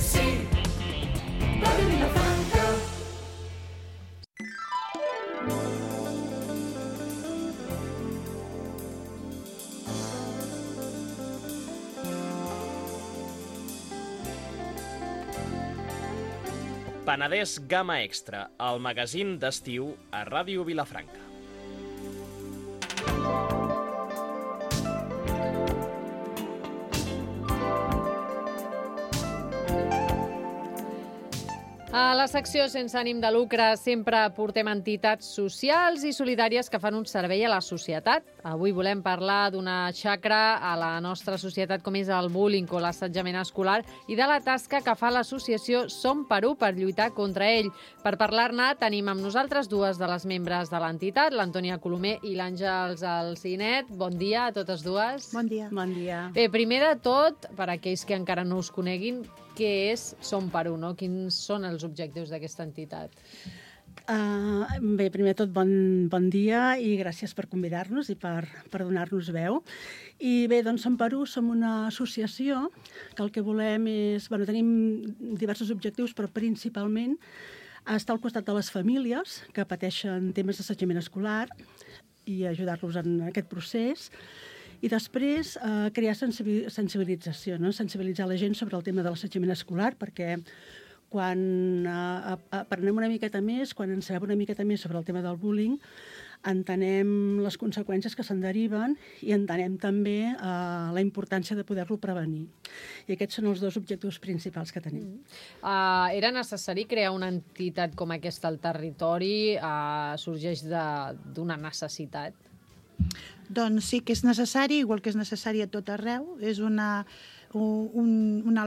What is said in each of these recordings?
sí, Ràdio Vilafranca. Penedès Gamma Extra, el magazín d'estiu a Ràdio Vilafranca. A la secció sense ànim de lucre sempre portem entitats socials i solidàries que fan un servei a la societat. Avui volem parlar d'una xacra a la nostra societat com és el bullying o l'assetjament escolar i de la tasca que fa l'associació Som Perú per lluitar contra ell. Per parlar-ne tenim amb nosaltres dues de les membres de l'entitat, l'Antònia Colomer i l'Àngels Alcinet. Bon dia a totes dues. Bon dia. Bon dia. Bé, primer de tot, per a aquells que encara no us coneguin, què és Som Perú, no? Quins són els objectius d'aquesta entitat? Bé, primer de tot, bon dia i gràcies per convidar-nos i per donar-nos veu. I bé, doncs Som Perú som una associació que el que volem és... tenim diversos objectius, però principalment estar al costat de les famílies que pateixen temes d'assetjament escolar i ajudar-los en aquest procés. I després crear sensibilització, no? Sensibilitzar la gent sobre el tema de l'assetjament escolar, perquè quan aprenem una miqueta més, quan en sabem una miqueta més sobre el tema del bullying, entenem les conseqüències que se'n deriven i entenem també la importància de poder-lo prevenir. I aquests són els dos objectius principals que tenim. Era necessari crear una entitat com aquesta al territori? Sorgeix d'una necessitat? Doncs sí que és necessari, igual que és necessari a tot arreu. És una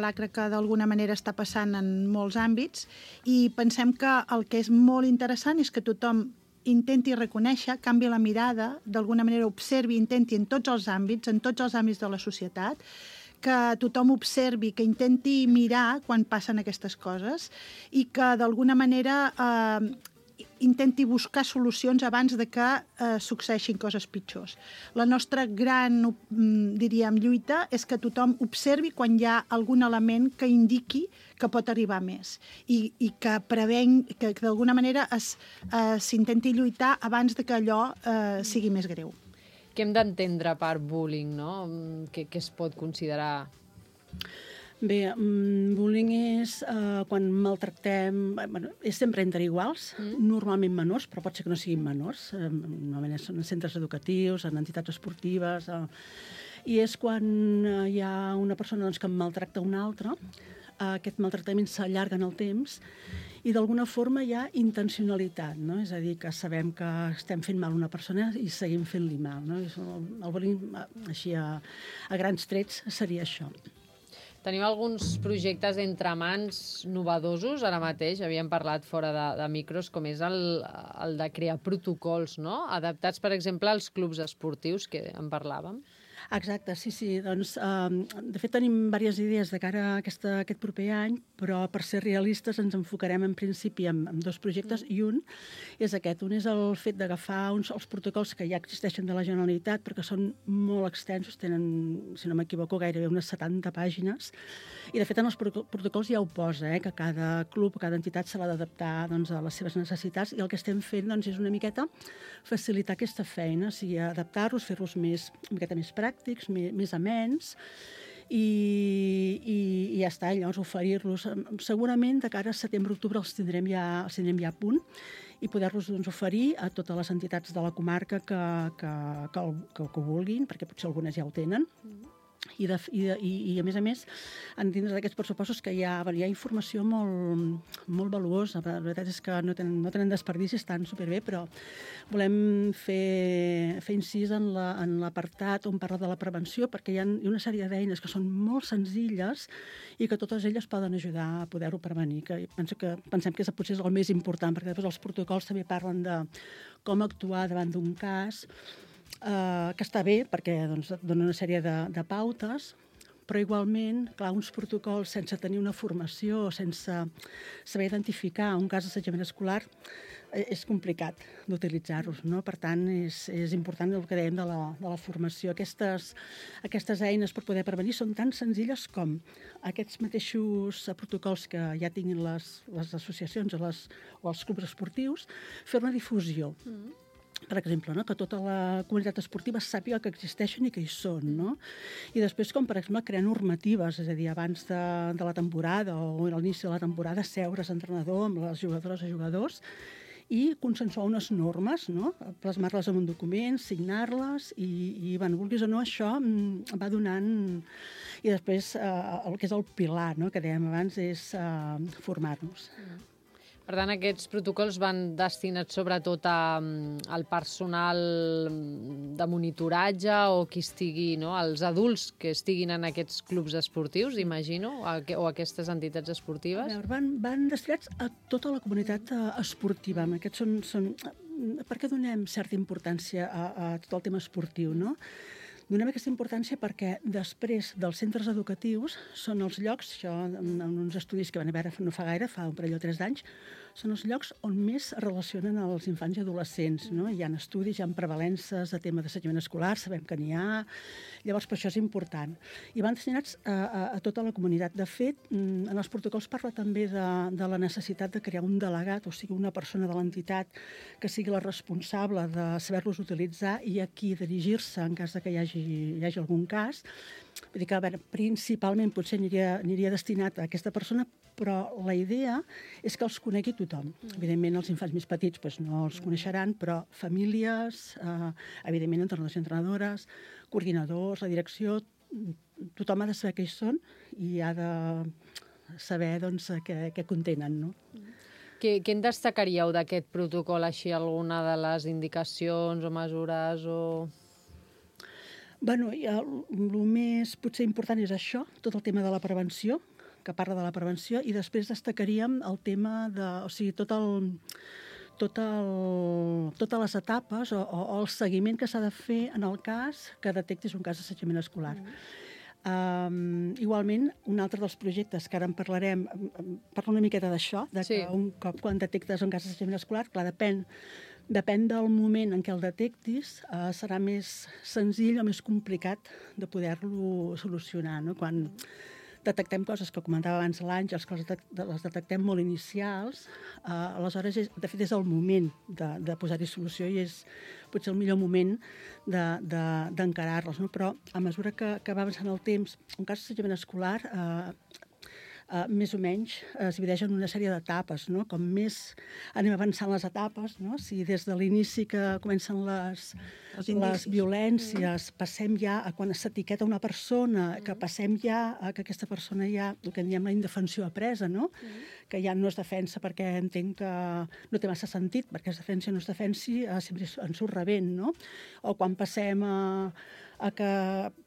lacra que d'alguna manera està passant en molts àmbits i pensem que el que és molt interessant és que tothom intenti reconèixer, canvi la mirada, d'alguna manera observi, intenti en tots els àmbits de la societat, que tothom observi, que intenti mirar quan passen aquestes coses i que d'alguna manera intenti buscar solucions abans de que succeeixin coses pitjors. La nostra gran, diríem, lluita és que tothom observi quan hi ha algun element que indiqui que pot arribar més i que que d'alguna manera s'intenti lluitar abans de que allò sigui més greu. Què hem d'entendre per bullying, no? Què es pot considerar? Bé, bullying és quan maltractem... és sempre entre iguals, normalment menors, però pot ser que no siguin menors. Normalment són en centres educatius, en entitats esportives... I és quan hi ha una persona que maltracta una altra, aquest maltractament s'allarga en el temps i d'alguna forma hi ha intencionalitat, no? És a dir, que sabem que estem fent mal a una persona i seguim fent-li mal, no? El bullying, així a grans trets, seria això. Teniu alguns projectes entre mans novedosos ara mateix? Havíem parlat fora de micros, com és el de crear protocols, no? Adaptats, per exemple, als clubs esportius, que en parlàvem. Exacte, sí. Doncs, de fet, tenim diverses idees de cara a aquest proper any, però per ser realistes ens enfocarem en principi en dos projectes i un és aquest. Un és el fet d'agafar els protocols que ja existeixen de la Generalitat, perquè són molt extensos, tenen, si no m'equivoco, gairebé unes 70 pàgines, i de fet en els protocols ja ho posa, que cada club, cada entitat se l'ha d'adaptar a les seves necessitats, i el que estem fent és una miqueta facilitar aquesta feina, o sigui, adaptar-los, fer-los una miqueta més pràctics, més amens, i ja està, llavors oferir-los. Segurament de cara a setembre-octubre els tindrem ja a punt i poder-los oferir a totes les entitats de la comarca que ho vulguin, perquè potser algunes ja ho tenen. I a més, dins d'aquests pressupostos que hi ha informació molt valuosa. La veritat és que no tenen desperdici, estan superbé, però volem fer incís en l'apartat on parla de la prevenció, perquè hi ha una sèrie d'eines que són molt senzilles i que totes elles poden ajudar a poder-ho prevenir. Pensem que potser és el més important, perquè després els protocols també parlen de com actuar davant d'un cas, que està bé perquè dona una sèrie de pautes, Però igualment, clar, uns protocols sense tenir una formació, sense saber identificar un cas d'assetjament escolar, és complicat d'utilitzar-los, no? Per tant, és important el que dèiem de la formació. Aquestes eines per poder prevenir són tan senzilles com aquests mateixos protocols que ja tinguin les associacions o els clubs esportius, fer una difusió. Per exemple, no? Que tota la comunitat esportiva sàpiga que existeixen i que hi són, no? I després, com per exemple, crear normatives, és a dir, abans de la temporada o a l'inici de la temporada, seure's entrenador amb les jugadores i jugadors i consensuar unes normes, no? Plasmar-les en un document, signar-les i vulguis o no, això va donant... I després, el que és el pilar, no? Que dèiem abans, és formar-nos. Per tant, aquests protocols van destinats sobretot al personal de monitoratge o qui estigui, no? Els adults que estiguin en aquests clubs esportius, imagino, o aquestes entitats esportives? Van destinats a tota la comunitat esportiva. Aquests són... Per què donem certa importància a tot el tema esportiu, no? Donem aquesta importància perquè després dels centres educatius són els llocs, això en uns estudis que van haver no fa gaire, fa un parell o 3 d'anys, són els llocs on més es relacionen els infants i adolescents, no? Hi ha estudis, hi ha prevalences de tema d'assetjament escolar, sabem que n'hi ha, llavors per això és important. I van destinats a tota la comunitat. De fet, en els protocols parla també de la necessitat de crear un delegat, o sigui, una persona de l'entitat que sigui la responsable de saber-los utilitzar i a qui dirigir-se en cas de que hi hagi algun cas. Vull dir que, a veure, principalment potser aniria destinat a aquesta persona, però la idea és que els conegui tothom. Evidentment, els infants més petits doncs, no els coneixeran, però famílies, evidentment, entrenadors i entrenadores, coordinadors, la direcció, tothom ha de saber què hi són i ha de saber doncs, què contenen, no? Què en destacaríeu d'aquest protocol, així, alguna de les indicacions o mesures o... Bueno, el més potser important és això, tot el tema de la prevenció, que parla de la prevenció, i després destacaríem el tema de... O sigui, totes les etapes o el seguiment que s'ha de fer en el cas que detectis un cas d'assetjament escolar. Igualment, un altre dels projectes que ara en parlarem, parla una miqueta d'això, que un cop quan detectes un cas d'assetjament escolar, clar, depèn del moment en què el detectis, serà més senzill o més complicat de poder-lo solucionar, no? Quan detectem coses que comentava abans l'Àngels, que les detectem molt inicials, aleshores, de fet, és el moment de posar-hi solució i és potser el millor moment d'encarar-les, no? Però a mesura que va avançant el temps, un cas d'assetjament escolar més o menys es divideix en una sèrie d'etapes, no? Com més anem avançant les etapes, no? Si des de l'inici que comencen les violències, passem ja a quan s'etiqueta una persona, que passem ja a que aquesta persona ja, el que en diem la indefensió apresa, no? Que ja no es defensa perquè entenc que no té massa sentit, perquè es defensi o no es defensi, sempre en surt rebent, no? O quan passem a que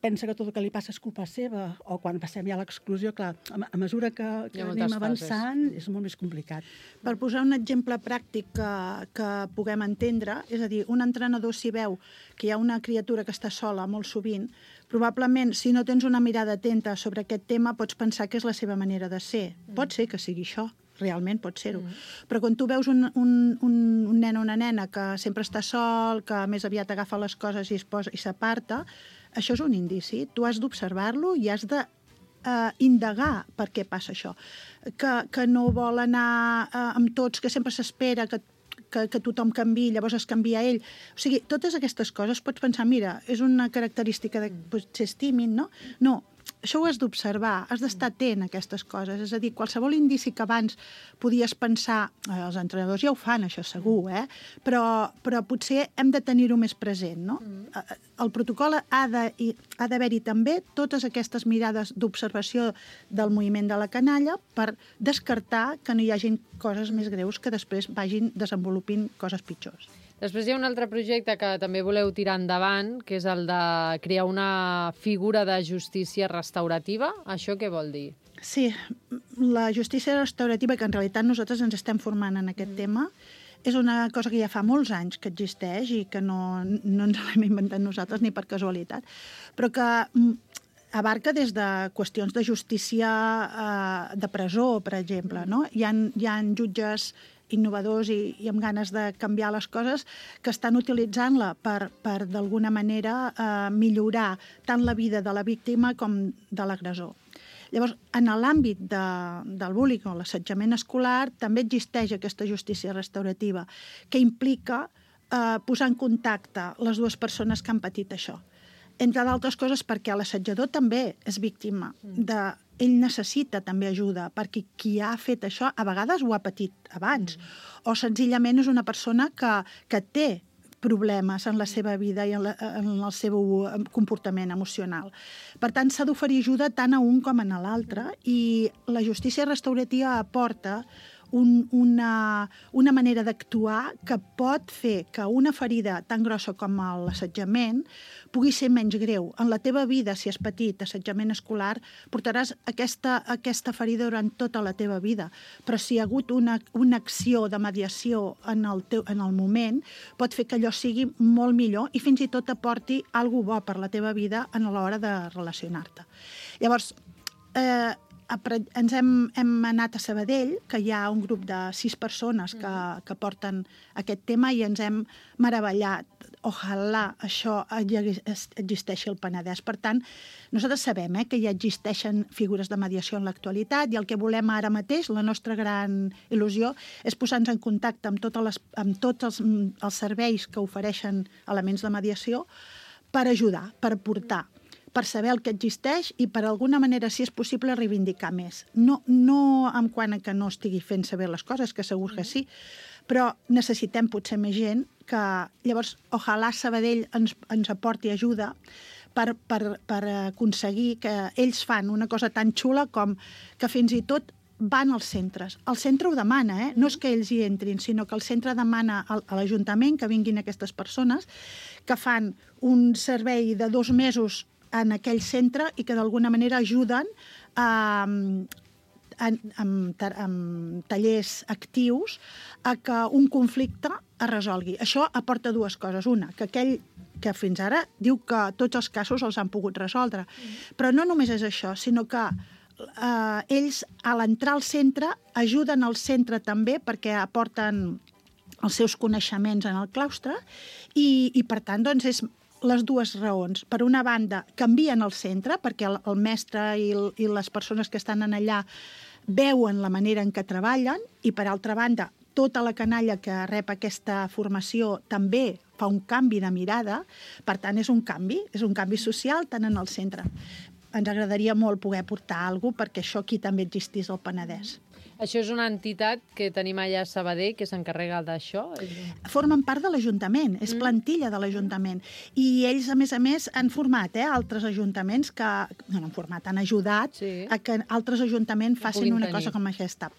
pensa que tot el que li passa és culpa seva, o quan passem ja a l'exclusió, clar, a mesura que anem avançant és molt més complicat. Per posar un exemple pràctic que puguem entendre, és a dir, un entrenador si veu que hi ha una criatura que està sola molt sovint, probablement, si no tens una mirada atenta sobre aquest tema, pots pensar que és la seva manera de ser. Pot ser que sigui això, realment pot ser-ho. Però quan tu veus un nen o una nena que sempre està sol, que més aviat agafa les coses i s'aparta, això és un indici. Tu has d'observar-lo i has de indagar per què passa això. Que no vol anar amb tots, que sempre s'espera que tothom canviï, llavors es canvia ell. O sigui, totes aquestes coses pots pensar, mira, és una característica de potser és tímid, no? No, això ho has d'observar, has d'estar atent a aquestes coses. És a dir, qualsevol indici que abans podies pensar, els entrenadors ja ho fan, això segur, però potser hem de tenir-ho més present, no? El protocol ha d'haver-hi també totes aquestes mirades d'observació del moviment de la canalla per descartar que no hi hagin coses més greus que després vagin desenvolupint coses pitjors. Després hi ha un altre projecte que també voleu tirar endavant, que és el de crear una figura de justícia restaurativa. Això què vol dir? Sí, la justícia restaurativa, que en realitat nosaltres ens estem formant en aquest tema, és una cosa que ja fa molts anys que existeix i que no ens l'hem inventat nosaltres ni per casualitat, però que abarca des de qüestions de justícia de presó, per exemple. No? Hi ha jutges innovadors i amb ganes de canviar les coses que estan utilitzant-la per d'alguna manera, millorar tant la vida de la víctima com de l'agressor. Llavors, en l'àmbit del bullying o l'assetjament escolar també existeix aquesta justícia restaurativa, que implica posar en contacte les dues persones que han patit això. Entre d'altres coses perquè l'assetjador també és víctima ell necessita també ajuda, perquè qui ha fet això a vegades ho ha patit abans, o senzillament és una persona que té problemes en la seva vida i en el seu comportament emocional. Per tant, s'ha d'oferir ajuda tant a un com a l'altre, i la justícia restaurativa aporta una manera d'actuar que pot fer que una ferida tan grossa com l'assetjament pugui ser menys greu. En la teva vida, si has patit assetjament escolar, portaràs aquesta ferida durant tota la teva vida. Però si hi ha hagut una acció de mediació en el moment, pot fer que allò sigui molt millor i fins i tot aporti alguna bo per la teva vida a l'hora de relacionar-te. Llavors, ens hem anat a Sabadell, que hi ha un grup de 6 persones que porten aquest tema, i ens hem meravellat. Ojalà això existeixi al Penedès. Per tant, nosaltres sabem que ja existeixen figures de mediació en l'actualitat, i el que volem ara mateix, la nostra gran il·lusió, és posar-nos en contacte amb tots els serveis que ofereixen elements de mediació per ajudar, per aportar, per saber el que existeix i per alguna manera, si és possible, reivindicar més. No en quant a que no estigui fent saber les coses, que segur que sí, però necessitem potser més gent que... Llavors, ojalà Sabadell ens aporti ajuda per aconseguir que ells fan una cosa tan xula com que fins i tot van als centres. El centre ho demana, no és que ells hi entrin, sinó que el centre demana a l'Ajuntament que vinguin aquestes persones, que fan un servei de 2 mesos en aquell centre i que d'alguna manera ajuden amb tallers actius a que un conflicte es resolgui. Això aporta 2 coses. Una, que aquell que fins ara diu que tots els casos els han pogut resoldre. Però no només és això, sinó que ells, a l'entrar al centre, ajuden al centre també perquè aporten els seus coneixements en el claustre i per tant, doncs, és les 2 raons. Per una banda, canvien el centre, perquè el mestre i les persones que estan allà veuen la manera en què treballen, i per altra banda, tota la canalla que rep aquesta formació també fa un canvi de mirada. Per tant, és un canvi social tant en el centre. Ens agradaria molt poder portar alguna cosa perquè això aquí també existís al Penedès. Això és una entitat que tenim allà a Sabadell que s'encarrega d'això? Formen part de l'Ajuntament, és plantilla de l'Ajuntament. I ells, a més, han format altres ajuntaments que... No han format, han ajudat a que altres ajuntaments facin una cosa com aquesta.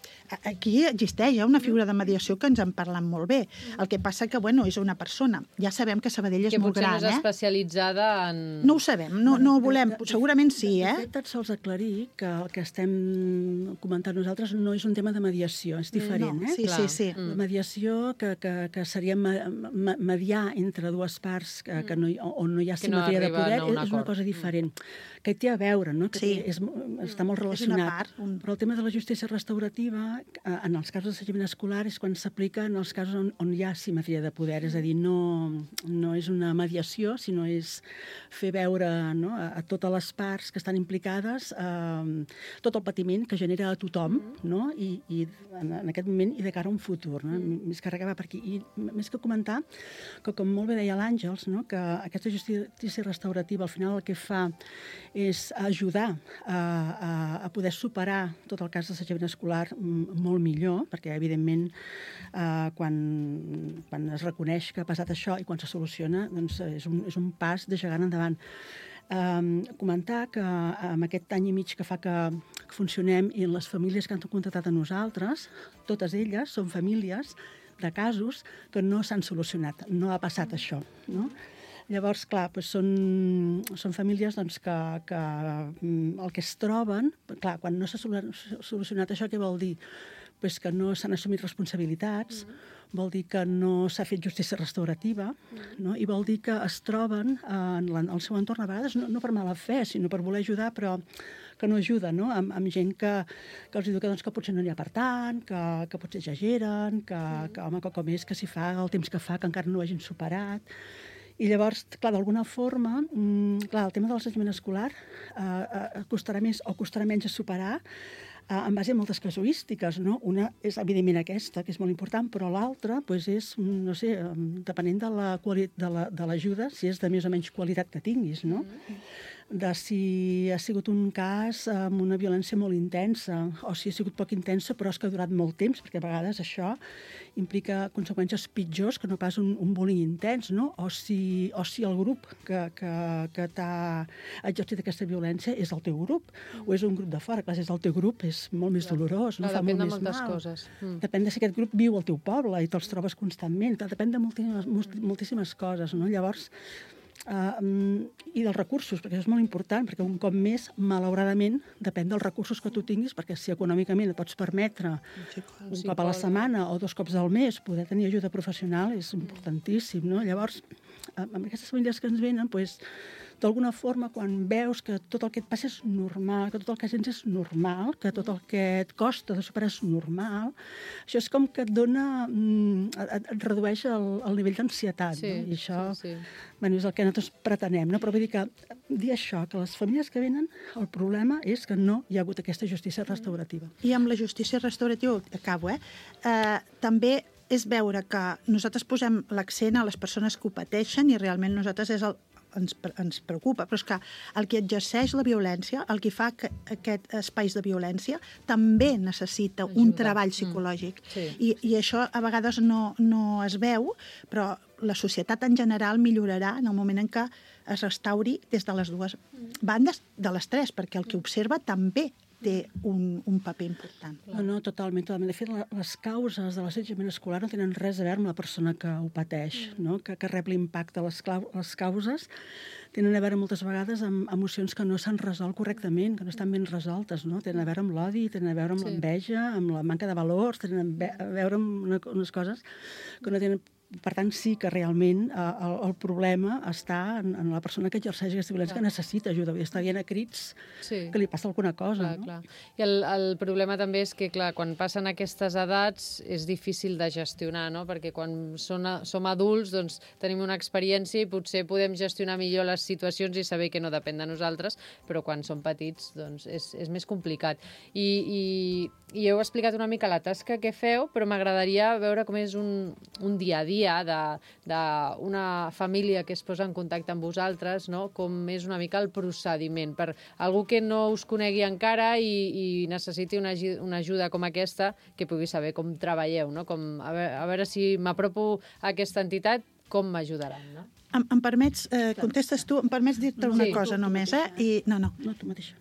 Aquí existeix una figura de mediació que ens en parlen molt bé. El que passa que, és una persona. Ja sabem que Sabadell és molt gran, Que potser no és especialitzada en... No ho sabem, no ho volem. Segurament sí, De fet, et sols aclarir que el que estem comentant nosaltres no és un tema de mediació, és diferent. No, sí. La mediació que seria mediar entre 2 parts on no hi ha simetria de poder és una cosa diferent, que té a veure, no? Que està molt relacionat. Però el tema de la justícia restaurativa, en els casos d'assetjament escolar, és quan s'aplica en els casos on hi ha simetria de poder, és a dir, no és una mediació, sinó és fer veure a totes les parts que estan implicades tot el patiment que genera a tothom, no? I en aquest moment i de cara a un futur, no? Més que res va per aquí. I més que comentar que, com molt bé deia l'Àngels, no? Que aquesta justícia restaurativa al final el que fa és ajudar a poder superar tot el cas d'assetjament escolar molt millor, perquè evidentment quan es reconeix que ha passat això i quan se soluciona, doncs és un pas de gegant endavant. Comentar que amb aquest any i mig que fa que funcionem i les famílies que han contactat a nosaltres, totes elles són famílies de casos que no s'han solucionat, no ha passat això, no? Llavors, clar, són famílies que el que es troben... Clar, quan no s'ha solucionat això, què vol dir? pues, que no s'han assumit responsabilitats, vol dir que no s'ha fet justícia restaurativa, no? I vol dir que es troben en el seu entorn, a vegades no per mala fe, sinó per voler ajudar, però que no ajuda, no? Amb gent que els diu que potser no n'hi ha per tant, que potser exageren, que home, que com és que s'hi fa el temps que fa, que encara no ho hagin superat. I llavors, clar, d'alguna forma, el tema de l'assetjament escolar costarà més o costarà menys a superar en base a moltes casuístiques, no? Una és, evidentment, aquesta, que és molt important, però l'altra és, no sé, depenent de l'ajuda, si és de més o menys qualitat que tinguis, no? De si ha sigut un cas amb una violència molt intensa o si ha sigut poc intensa però és que ha durat molt temps, perquè a vegades això implica conseqüències pitjors que no pas un bullying intens, no? O si el grup que t'ha exercit aquesta violència és el teu grup o és un grup de fora. Clar, si és el teu grup és molt més dolorós, no? Fa molt més mal. Coses. Depèn de si aquest grup viu al teu poble i te'ls trobes constantment. Depèn de moltíssimes coses, no? Llavors, i dels recursos, perquè això és molt important, perquè un cop més, malauradament, depèn dels recursos que tu tinguis, perquè si econòmicament et pots permetre un cop a la setmana o 2 cops al mes poder tenir ajuda professional és importantíssim, no? Llavors, amb aquestes famílies que ens venen, d'alguna forma, quan veus que tot el que et passa és normal, que tot el que sents és normal, que tot el que et costa de superar és normal, això és com que et dona, et redueix el nivell d'ansietat, no? I això, bueno, és el que nosaltres pretenem, no? Però vull dir que dir això, que les famílies que venen, el problema és que no hi ha hagut aquesta justícia restaurativa. I amb la justícia restaurativa, acabo, també és veure que nosaltres posem l'accent a les persones que ho pateixen i realment nosaltres ens preocupa, però és que el que exerceix la violència, el que fa que aquest espais de violència, també necessita un treball psicològic. I això a vegades no es veu, però la societat en general millorarà en el moment en què es restauri des de les dues bandes, de les tres, perquè el que observa també té un paper important. No, totalment. De fet, les causes de l'assetjament escolar no tenen res a veure amb la persona que ho pateix, no? Que rep l'impacte. Les causes tenen a veure moltes vegades amb emocions que no s'han resolt correctament, que no estan ben resoltes, no? Tenen a veure amb l'odi, tenen a veure amb l'enveja, amb la manca de valors, tenen a veure amb unes coses que no tenen... Per tant, sí que realment el problema està en la persona que exerceix aquesta violència, que necessita ajuda, està dient a crits que li passa alguna cosa. Clar. I el problema també és que, clar, quan passen aquestes edats és difícil de gestionar, no? Perquè quan som adults doncs, tenim una experiència i potser podem gestionar millor les situacions i saber que no depèn de nosaltres, però quan som petits doncs, és més complicat. I heu explicat una mica la tasca que feu, però m'agradaria veure com és un dia a dia d'una família que es posa en contacte amb vosaltres, no? Com és una mica el procediment. Per algú que no us conegui encara i necessiti una ajuda com aquesta, que pugui saber com treballeu, no? A veure si m'apropo a aquesta entitat, com m'ajudaran, no? Em permets, contestes tu, em permets dir-te una cosa només, No, tu mateixa.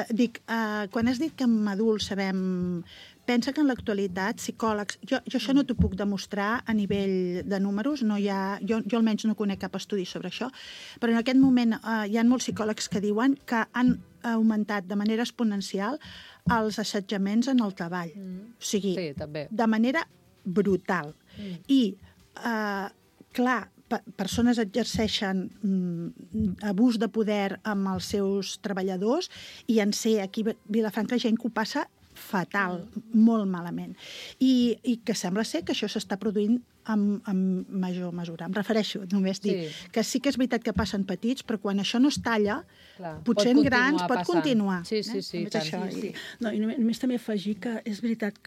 Dic, quan has dit que amb adults sabem... Pensa que en l'actualitat, psicòlegs... Jo això no t'ho puc demostrar a nivell de números, no hi ha, jo almenys no conec cap estudi sobre això, però en aquest moment hi ha molts psicòlegs que diuen que han augmentat de manera exponencial els assetjaments en el treball. O sigui, de manera brutal. I, clar, persones exerceixen abús de poder amb els seus treballadors i en sé aquí a Vilafranca gent que ho passa fatal, molt malament. I que sembla ser que això s'està produint amb major mesura. Em refereixo, només dir que sí que és veritat que passen petits, però quan això no es talla, potser en grans pot continuar. Sí. No, i només també afegir que és veritat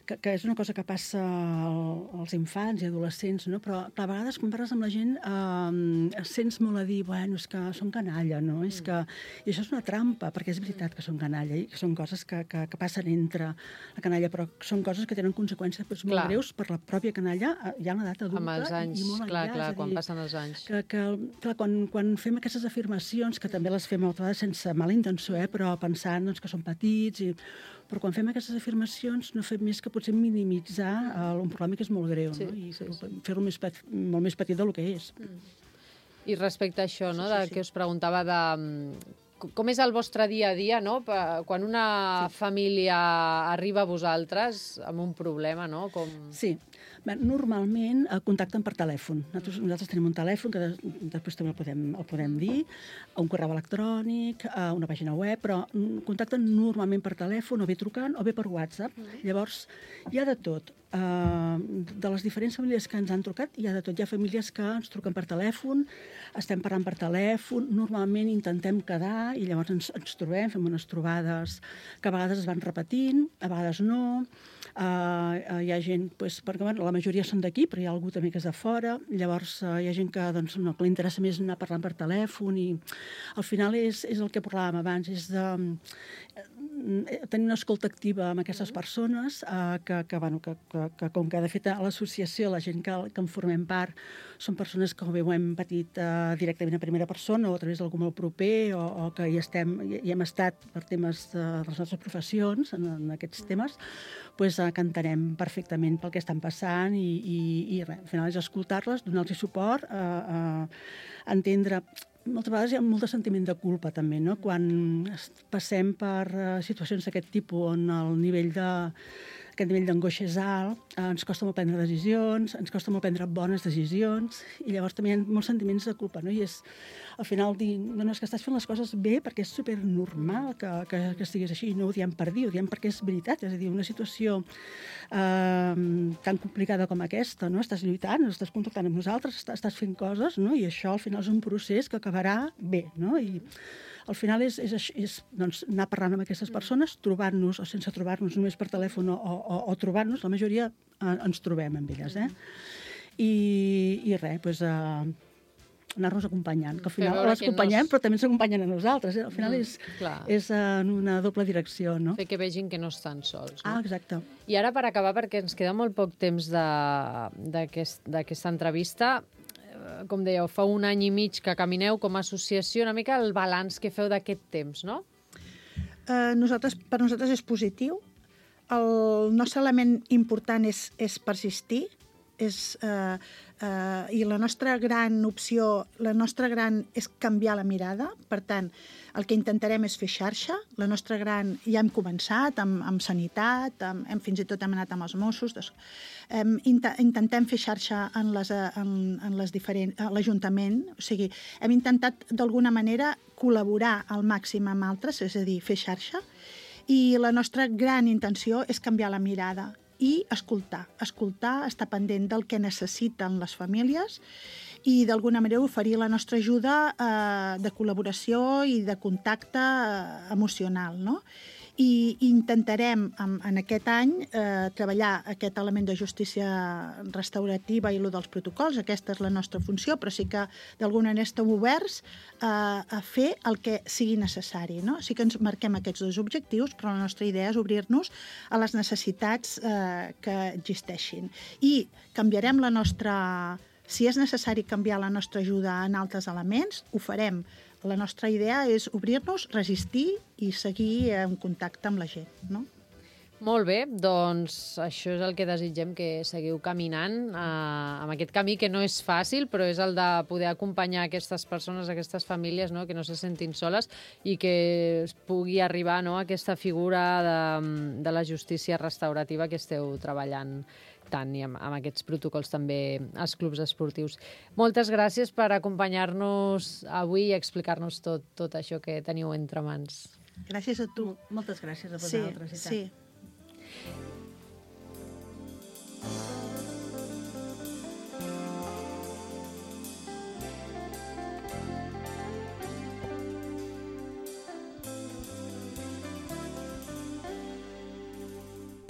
que és una cosa que passa als infants i adolescents, no? Però a vegades quan parles amb la gent sents molt a dir, bueno, és que són canalla, no? I això és una trampa, perquè és veritat que són canalla i que són coses que passen entre la canalla, però són coses que tenen conseqüències molt greus per la pròpia canalla ja en l'edat adulta. Amb els anys, clar, quan passen els anys. Clar, quan fem aquestes afirmacions, que també les fem a vegades sense mala intenció, però pensant que són petits, però quan fem aquestes afirmacions no fem més que potser minimitzar un problema que és molt greu, no? I fer-lo molt més petit del que és. I respecte a això, no, que us preguntava de com és el vostre dia a dia, no? Quan una família arriba a vosaltres amb un problema, no? Sí. Bé, normalment contacten per telèfon. Nosaltres tenim un telèfon que després també el podem dir, un correu electrònic, una pàgina web, però contacten normalment per telèfon, o bé trucant, o bé per WhatsApp. Llavors, hi ha de tot. De les diferents famílies que ens han trucat, hi ha de tot. Hi ha famílies que ens truquen per telèfon, estem parlant per telèfon, normalment intentem quedar i llavors ens trobem, fem unes trobades que a vegades es van repetint, a vegades no. Hi ha gent, perquè la majoria són d'aquí, però hi ha algú també que és de fora. Llavors hi ha gent que no, que li interessa més anar parlant per telèfon i al final és el que parlàvem abans, és de tenir una escolta activa amb aquestes persones que com que de fet a l'associació la gent que en formem part són persones que bé ho hem patit directament a primera persona o a través d'algú molt proper o que hi hem estat per temes de les nostres professions en aquests temes, doncs que entenem perfectament pel que estan passant i res, al final és escoltar-les, donar-los suport, entendre. Moltes vegades hi ha molt de sentiment de culpa també, no? Quan passem per situacions d'aquest tipus on aquest nivell d'angoixa és alt, ens costa molt prendre decisions, ens costa molt prendre bones decisions i llavors també hi ha molts sentiments de culpa, no? I és al final dir, no, és que estàs fent les coses bé perquè és supernormal que estiguis així, no ho diem per dir, ho diem perquè és veritat, és a dir, una situació tan complicada com aquesta, no? Estàs lluitant, estàs contactant amb nosaltres, estàs fent coses, no? I això al final és un procés que acabarà bé, no? I al final és doncs, anar parlant amb aquestes persones, trobar-nos o sense trobar-nos, només per telèfon o trobar-nos, la majoria ens trobem amb elles, I res, doncs anar-nos acompanyant, que al final les acompanyem però també ens acompanyen a nosaltres, Al final és en una doble direcció, no? Fer que vegin que no estan sols, no? Exacte. I ara, per acabar, perquè ens queda molt poc temps d'aquesta entrevista, com dèieu, fa 1 any i mig que camineu com a associació, una mica el balanç que feu d'aquest temps, no? Per nosaltres és positiu. El nostre element important és persistir, i la nostra gran opció, és canviar la mirada. Per tant, el que intentarem és fer xarxa. La nostra ja hem començat amb sanitat, fins i tot hem anat amb els Mossos. Intentem fer xarxa en l'Ajuntament. O sigui, hem intentat d'alguna manera col·laborar al màxim amb altres, és a dir, fer xarxa. I la nostra gran intenció és canviar la mirada i escoltar, estar pendent del que necessiten les famílies i d'alguna manera oferir la nostra ajuda de col·laboració i de contacte emocional, no? I intentarem en aquest any treballar aquest element de justícia restaurativa i el dels protocols. Aquesta és la nostra funció, però sí que d'alguna manera estem oberts a fer el que sigui necessari, no? Sí que ens marquem aquests 2 objectius, però la nostra idea és obrir-nos a les necessitats que existeixin. I canviarem la nostra... Si és necessari canviar la nostra ajuda en altres elements, ho farem. La nostra idea és obrir-nos, resistir i seguir en contacte amb la gent, no? Molt bé, doncs això és el que desitgem, que seguiu caminant amb aquest camí que no és fàcil, però és el de poder acompanyar aquestes persones, aquestes famílies, no? Que no se sentin soles i que es pugui arribar, no? A aquesta figura de la justícia restaurativa que esteu treballant tant i amb aquests protocols també als clubs esportius. Moltes gràcies per acompanyar-nos avui i explicar-nos tot això que teniu entre mans. Gràcies a tu. Moltes gràcies a vosaltres. Sí.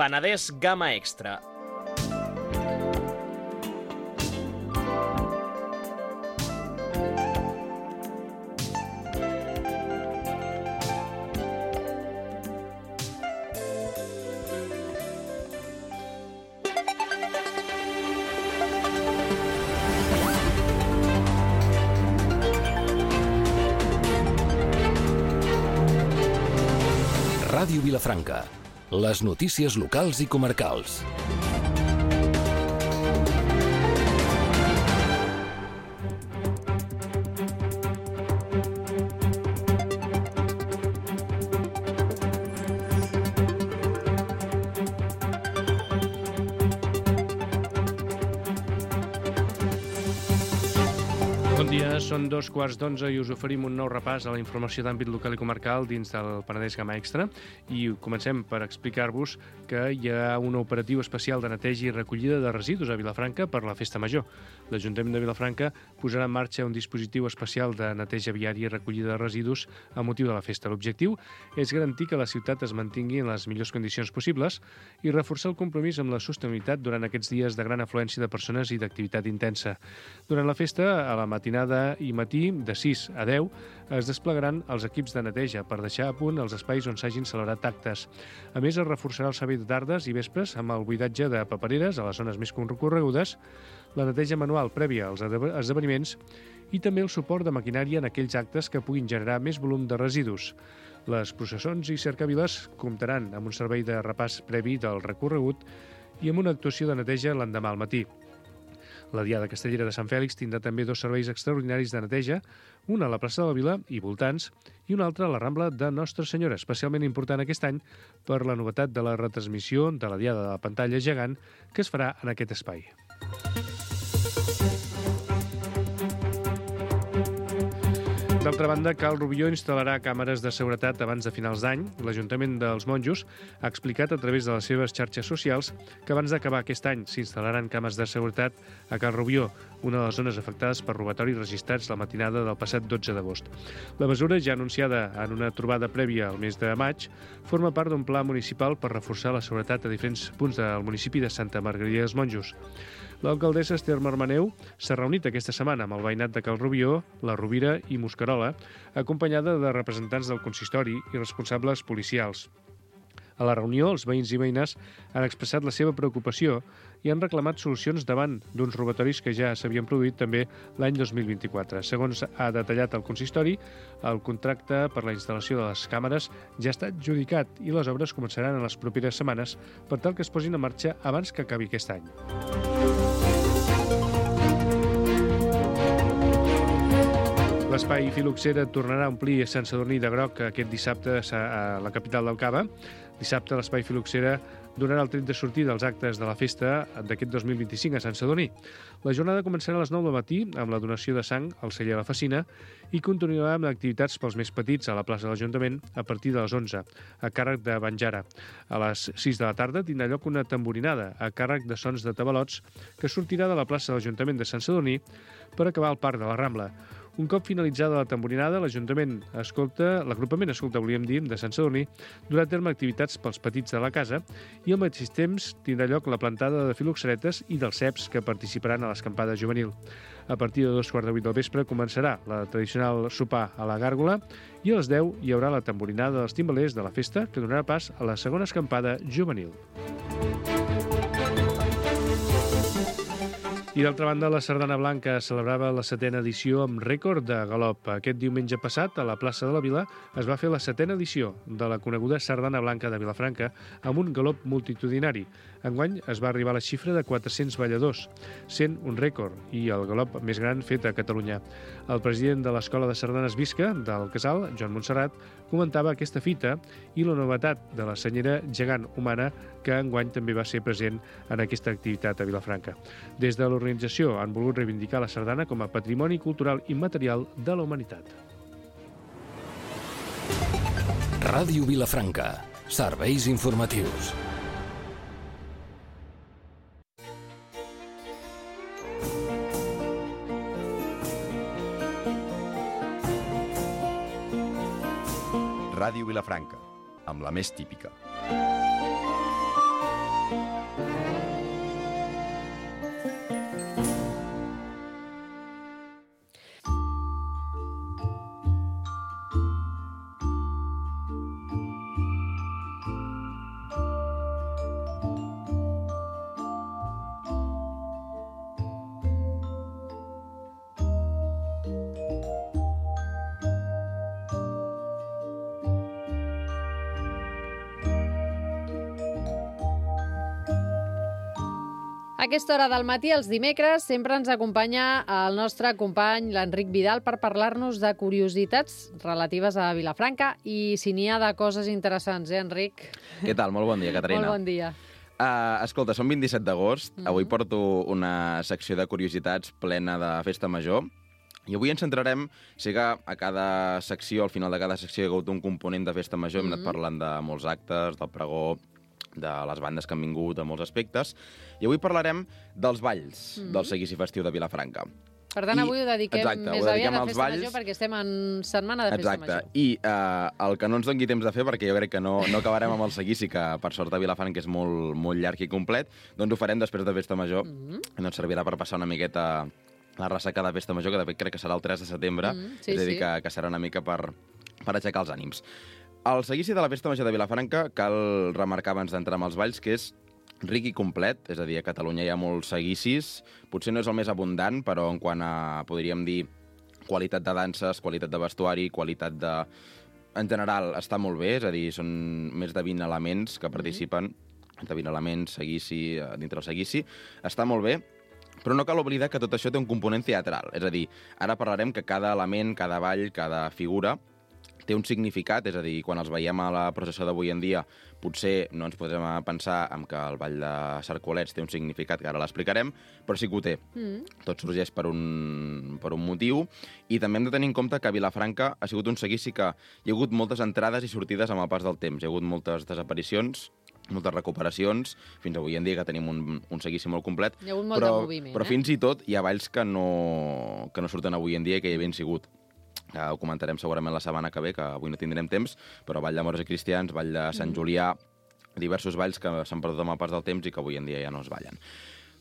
Penedès Gamma Extra. Ràdio Vilafranca. Les notícies locals i comarcals. Bon dia, són 2:15 i us oferim un nou repàs a la informació d'àmbit local i comarcal dins del Penedès Gamma Extra i comencem per explicar-vos que hi ha un operatiu especial de neteja i recollida de residus a Vilafranca per la Festa Major. L'Ajuntament de Vilafranca posarà en marxa un dispositiu especial de neteja viària i recollida de residus a motiu de la festa. L'objectiu és garantir que la ciutat es mantingui en les millors condicions possibles i reforçar el compromís amb la sostenibilitat durant aquests dies de gran afluència de persones i d'activitat intensa. Durant la festa, a la matinada i matí, de 6 a 10, es desplegaran els equips de neteja per deixar a punt els espais on s'hagin celebrat actes. A més, es reforçarà el servei de tardes i vespres amb el buidatge de papereres a les zones més concorregudes, la neteja manual prèvia als esdeveniments i també el suport de maquinària en aquells actes que puguin generar més volum de residus. Les processons i cercaviles comptaran amb un servei de repàs previ del recorregut i amb una actuació de neteja l'endemà al matí. La Diada Castellera de Sant Fèlix tindrà també 2 serveis extraordinaris de neteja, un a la plaça de la Vila i voltants i un altre a la Rambla de Nostra Senyora, especialment important aquest any per la novetat de la retransmissió de la Diada de la pantalla gegant que es farà en aquest espai. D'altra banda, Cal Rubió instal·larà càmeres de seguretat abans de finals d'any. L'Ajuntament dels Monjos ha explicat a través de les seves xarxes socials que abans d'acabar aquest any s'instal·laran càmeres de seguretat a Cal Rubió, una de les zones afectades per robatoris registrats la matinada del passat 12 d'agost. La mesura, ja anunciada en una trobada prèvia al mes de maig, forma part d'un pla municipal per reforçar la seguretat a diferents punts del municipi de Santa Margarida dels Monjos. L'alcaldessa Esther Marmaneu s'ha reunit aquesta setmana amb el veïnat de Cal Rubió, la Rovira i Mosquerola, acompanyada de representants del consistori i responsables policials. A la reunió, els veïns i veïnes han expressat la seva preocupació i han reclamat solucions davant d'uns robatoris que ja s'havien produït també l'any 2024. Segons ha detallat el consistori, el contracte per la instal·lació de les càmeres ja està adjudicat i les obres començaran en les properes setmanes per tal que es posin en marxa abans que acabi aquest any. L'espai Filoxera tornarà a omplir Sant Sadurní de groc aquest dissabte a la capital del Cava. Dissabte l'Espai Filoxera donarà el tret de sortir dels actes de la festa d'aquest 2025 a Sant Sadurní. La jornada començarà a les 9 del matí amb la donació de sang al celler de la Facina i continuarà amb activitats pels més petits a la plaça de l'Ajuntament a partir de les 11, a càrrec de Banjara. A les 6 de la tarda tindrà lloc una tamborinada a càrrec de Sons de Tabalots que sortirà de la plaça de l'Ajuntament de Sant Sadurní per acabar al Parc de la Rambla. Un cop finalitzada la tamborinada, l'agrupament escolta, de Sant Sadurní, durà a terme activitats pels petits de la casa i al mateix temps tindrà lloc la plantada de filoxeretes i dels ceps que participaran a l'escampada juvenil. A partir de 2:15 del vespre començarà la tradicional sopar a la gàrgola i a les 10 hi haurà la tamborinada dels timbalers de la festa que donarà pas a la segona escampada juvenil. I d'altra banda, la Sardana Blanca celebrava la 7a edició amb rècord de galop. Aquest diumenge passat, a la plaça de la Vila, es va fer la 7a edició de la coneguda Sardana Blanca de Vilafranca amb un galop multitudinari. Enguany es va arribar a la xifra de 400 balladors, sent un rècord i el galop més gran fet a Catalunya. El president de l'Escola de Sardanes Visca, del Casal, Joan Montserrat, comentava aquesta fita i la novetat de la senyera gegant humana que enguany també va ser present en aquesta activitat a Vilafranca. Des de l'organització han volgut reivindicar la sardana com a patrimoni cultural immaterial de la humanitat. Ràdio Vilafranca. Serveis informatius. Ràdio Vilafranca, amb la més típica. A aquesta hora del matí, els dimecres, sempre ens acompanya el nostre company, l'Enric Vidal, per parlar-nos de curiositats relatives a Vilafranca i si n'hi ha de coses interessants, Enric? Què tal? Molt bon dia, Caterina. Molt bon dia. Escolta, som 27 d'agost. Avui porto una secció de curiositats plena de festa major I avui ens centrarem, sé que a cada secció, al final de cada secció, hi ha hagut un component de festa major, hem anat parlant de molts actes, del pregó, de les bandes que han vingut, de molts aspectes, i avui parlarem dels balls del seguici festiu de Vilafranca. Per tant, avui ho dediquem més aviat a als festa balls. major perquè estem en setmana de festa major. I el que no ens doni temps de fer, perquè jo crec que no acabarem amb el seguici, que per sort a Vilafranca és molt, molt llarg i complet, doncs ho farem després de festa major, i ens servirà per passar una miqueta la ressaca de festa major, que de fet crec que serà el 3 de setembre, és a dir, que serà una mica per aixecar els ànims. El seguici de la festa major de Vilafranca cal remarcar abans d'entrar amb els balls que és ric i complet, és a dir, a Catalunya hi ha molts seguicis, potser no és el més abundant, però en quant a, podríem dir, qualitat de danses, qualitat de vestuari, qualitat de... En general, està molt bé, és a dir, són més de 20 elements que participen, de 20 elements, seguici, dintre el seguici, està molt bé, però no cal oblidar que tot això té un component teatral. És a dir, ara parlarem que cada element, cada ball, cada figura té un significat, és a dir, quan els veiem a la processó d'avui en dia, potser no ens podrem pensar en que el ball de Cercolets té un significat, que ara l'explicarem, però sí que ho té. Tot sorgeix per un motiu, i també hem de tenir en compte que a Vilafranca ha sigut un seguici que hi ha hagut moltes entrades i sortides amb el pas del temps. Hi ha hagut moltes desaparicions, moltes recuperacions, fins avui en dia que tenim un seguici molt complet. Hi ha hagut molt de moviment, però fins i tot hi ha balls que no surten avui en dia i que hi havien sigut. Ho comentarem segurament la setmana que ve, que avui no tindrem temps, però ball de moros i cristians, ball de Sant Julià, diversos balls que s'han perdut amb el pas del temps i que avui en dia ja no es ballen.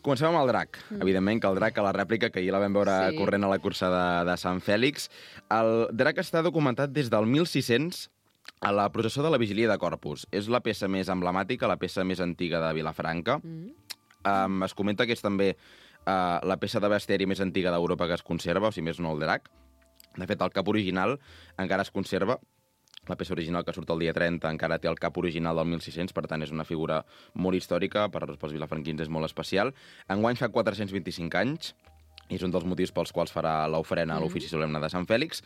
Comencem amb el drac. Evidentment que el drac, a la rèplica, que ahir la vam veure corrent a la cursa de Sant Fèlix. El drac està documentat des del 1600 a la processó de la Vigília de Corpus. És la peça més emblemàtica, la peça més antiga de Vilafranca. Es comenta que és també la peça de bestiari més antiga d'Europa que es conserva, o sigui, més no el drac. De fet, el cap original encara es conserva. La peça original que surt el dia 30 encara té el cap original del 1600, per tant és una figura molt històrica, pels vilafranquins és molt especial. Enguany fa 425 anys, i és un dels motius pels quals farà l'ofrena a l'ofici solemne de Sant Fèlix.